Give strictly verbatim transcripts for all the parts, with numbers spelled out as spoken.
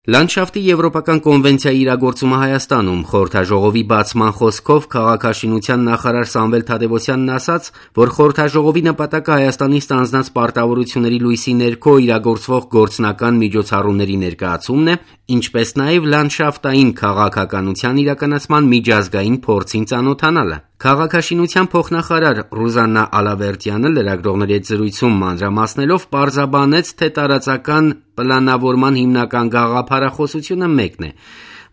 Լանդշաֆտի եվրոպական կոնվենցիայի իրագործումը Հայաստանում խորհրդաժողովի բացման խոսքով քաղաքաշինության նախարար Սամվել Թադևոսյանն ասաց, որ խորհրդաժողովի նպատակը Հայաստանի ստանձնած պարտավորությունների լույսի ներքո իրագործվող գործնական միջոցառումների ներկայացումն է, ինչպես նաև լանդշաֆտային քաղաքականության իրականացման միջազգային փորձին ծանոթանալը։ Քաղաքաշինության փոխնախարար Ռուզաննա Ալավերդյանը լրագրողների հետ զրույցում մանրամասնելով պարզաբանեց, թե տարածական պլանավորման հիմնական գաղափարախոսությունը մեկն է։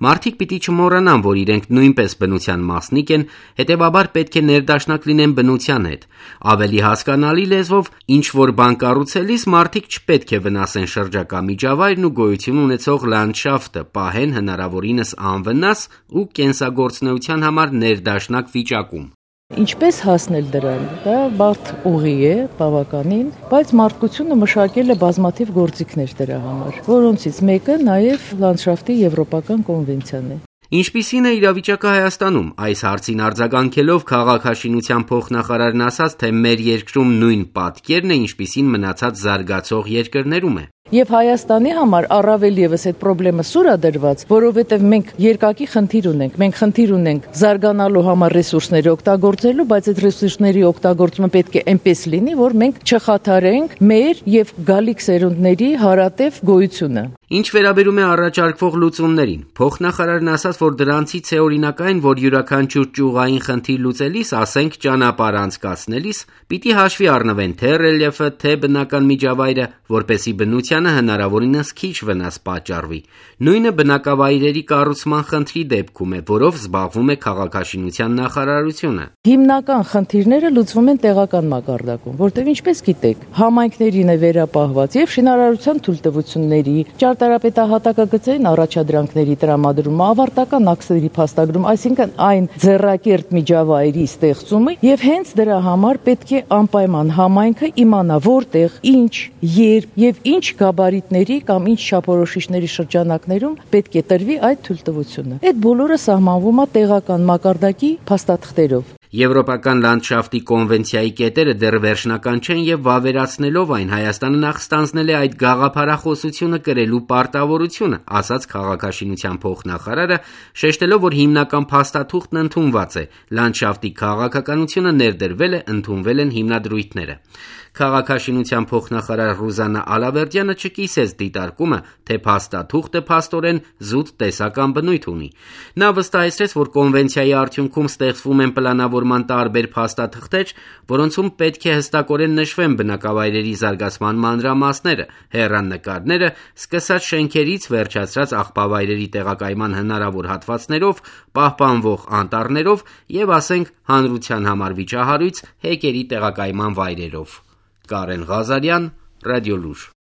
Մարդիկ պիտի չմոռանան, որ իրենք նույնպես բնության մասնիկ են, հետևաբար պետք է ներդաշնակ լինեն բնության հետ։ Ավելի հասկանալի լեզվով, ինչ-որ բան կառուցելիս մարդիկ չպետք է վնասեն շրջակա միջավայրն ու գոյություն ունեցող լանդշաֆտը, պահեն հնարավորինս անվնաս ու կենսագործունեության համար ներդաշնակ վիճակում։ Ինչպես հասնել դրան, դա բարդ ուղի է, բավականին, բայց մարդկությունը մշակել է բազմաթիվ գործիքներ դրա համար, որոնցից մեկը նաև լանդշաֆտի եվրոպական կոնվենցիան է։ Ինչպիսին է իրավիճակը Հայաստանում, այս հարցին արձագանքելով քաղաքաշինության փոխնախարարն ասաց, թե մեր երկրում նույն պատկերն է, ինչպիսին մնացած զարգացող երկրներում է։ Եվ Հայաստանի համար առավել ևս այդ խնդրը սուր է դրված, որովհետև մենք երկակի խնդիր ունենք, մենք խնդիր ունենք զարգանալու համար ռեսուրսների օգտագործելու, բայց այդ ռեսուրսների օգտագործումը պետք է այնպես լինի, որ մենք չխաթարենք մեր եւ գալիք սերունդների հարատև գոյությունը։ Ինչ վերաբերում է առաջարկվող լուծումներին, փոխնախարարն ասաց, որ դրանցից է օրինակ այն, որ յուրաքանչյուր ճյուղային խնդիր լուծելիս, ասենք ճանապարհ անցկացնելիս, պիտի հաշվի առնվեն թե ռելիեֆը, թե բնական միջավայրը, որպեսզի բնությանը հնարավորինս քիչ վնաս պատճառվի։ Նույնը բնակավայրերի կառուցման խնդրի դեպքում է, որով զբաղվում է քաղաքաշինության նախարարությունը։ Հիմնական խնդիրները լուծվում են տեղական մակարդակում, որտեղ ինչպես գիտեք, համայնքներին է վերապահված եւ շինարարության թույլտվությունների, ճարտարապետահատակագծային առաջադրանքների տրամադրումը, ավարտական ակտերի փաստագրում, այսինքն այն ձեռակերտ միջավայրի ստեղծումը, եւ հենց դրա համար պետք է անպայման համայնքը իմանա որտեղ, ինչ, երբ եւ ինչ գաբարիտների կամ ինչ չափորոշիչների շրջանակներում պետք է տրվի այդ թույլտվությունը։ Այդ բոլորը սահմանվում է տեղական մակարդակի փաստաթղթերով։ Եվրոպական լանդշաֆտի կոնվենցիայի կետերը դեռ վերջնական չեն եւ վավերացնելով այն Հայաստանը նախ ստանձնել է այդ գաղափարախոսությունը կրելու պարտավորությունը, ասաց քաղաքաշինության փոխնախարարը, շեշտելով, որ հիմնական փաստաթուղթն ընդունված է, լանդշաֆտի քաղաքականությունը ներդրվել է, ընդունվել են հիմնադրույթները։ Քաղաքաշինության փոխնախարար Ռուզաննա Ալավերդյանը չկիսեց դիտարկումը, թե փաստաթուղթը փաստորեն զուտ տեսական բնույթ ունի։ Նա վստահեցրեց, որ կոնվենցիայի արդյունքում ստեղծվում են պլանավորման տարբեր փաստաթղթեր, որոնցում պետք է հստակորեն նշվեն բնակավայրերի զարգացման մանրամասները, հեռանկարները, սկսած շենքերից վերջացրած աղբավայրերի տեղակայման հնարավոր հատվածներով, պահպանվող անտառներով եւ, ասենք, հանրության համար վիճահարույց հեկերի տեղակայման վայրերով։ Կարեն Ղազարյան, Ռադիոլուր։